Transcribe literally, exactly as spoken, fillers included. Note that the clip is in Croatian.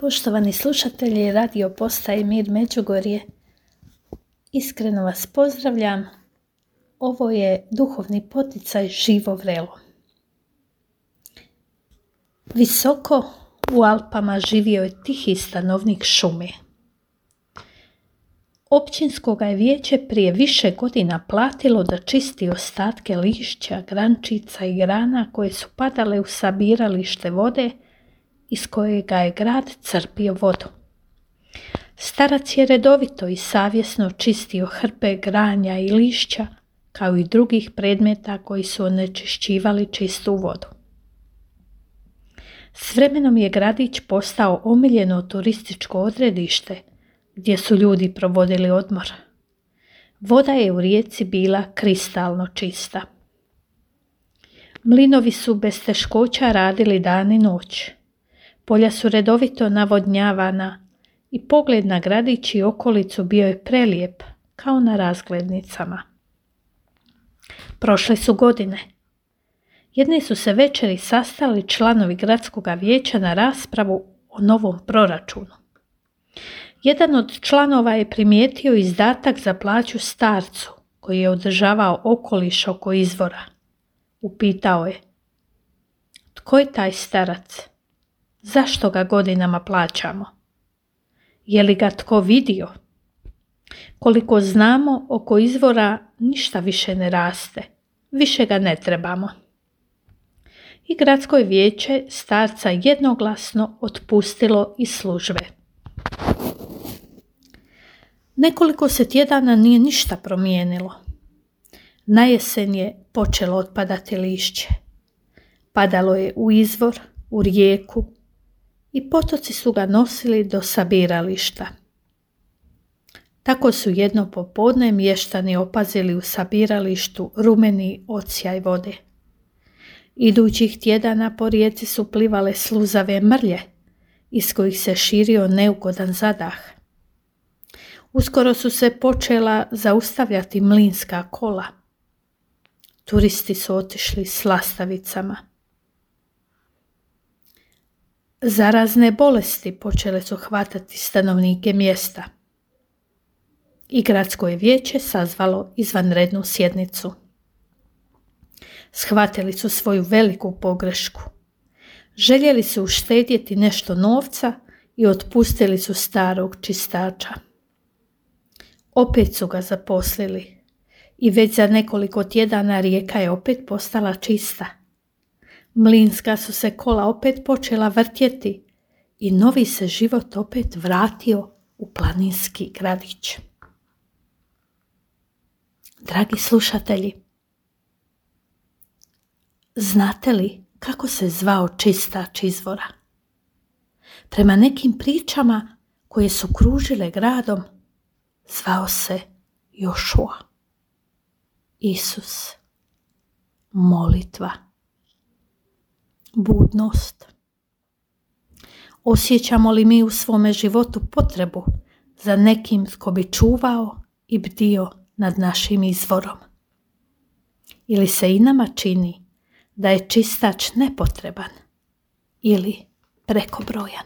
Poštovani slušatelji radio postaje Mir Međugorje, iskreno vas pozdravljam. Ovo je duhovni poticaj Živo vrelo. Visoko u Alpama živio je tihi stanovnik šume. Općinsko ga je vijeće prije više godina platilo da čisti ostatke lišća, grančica i grana koje su padale u sabiralište vode iz kojega je grad crpio vodu. Starac je redovito i savjesno čistio hrpe granja i lišća, kao i drugih predmeta koji su onečišćivali čistu vodu. S vremenom je gradić postao omiljeno turističko odredište gdje su ljudi provodili odmor. Voda je u rijeci bila kristalno čista. Mlinovi su bez teškoća radili dan i noć. Polja su redovito navodnjavana i pogled na gradić i okolicu bio je prelijep, kao na razglednicama. Prošle su godine. Jedne su se večeri sastali članovi gradskog vijeća na raspravu o novom proračunu. Jedan od članova je primijetio izdatak za plaću starcu koji je održavao okoliš oko izvora. Upitao je: tko je taj starac? Zašto ga godinama plaćamo? Je li ga tko vidio? Koliko znamo, oko izvora ništa više ne raste, više ga ne trebamo. I gradsko je vijeće starca jednoglasno otpustilo iz službe. Nekoliko se tjedana nije ništa promijenilo. Na jesen je počelo otpadati lišće. Padalo je u izvor, u rijeku i potoci su ga nosili do sabirališta. Tako su jedno popodne mještani opazili u sabiralištu rumeni odsjaj vode. Idućih tjedana po rijeci su plivale sluzave mrlje, iz kojih se širio neugodan zadah. Uskoro su se počela zaustavljati mlinska kola. Turisti su otišli s lastavicama. Zarazne bolesti počele su hvatati stanovnike mjesta. I gradsko je vijeće sazvalo izvanrednu sjednicu. Shvatili su svoju veliku pogrešku. Željeli su uštedjeti nešto novca i otpustili su starog čistača. Opet su ga zaposlili i već za nekoliko tjedana rijeka je opet postala čista. Mlinska su se kola opet počela vrtjeti i novi se život opet vratio u planinski gradić. Dragi slušatelji, znate li kako se zvao čistač izvora? Prema nekim pričama koje su kružile gradom, zvao se Jošua. Isus. Molitva. Budnost. Osjećamo li mi u svome životu potrebu za nekim tko bi čuvao i bdio nad našim izvorom? Ili se i nama čini da je čistač nepotreban ili prekobrojan?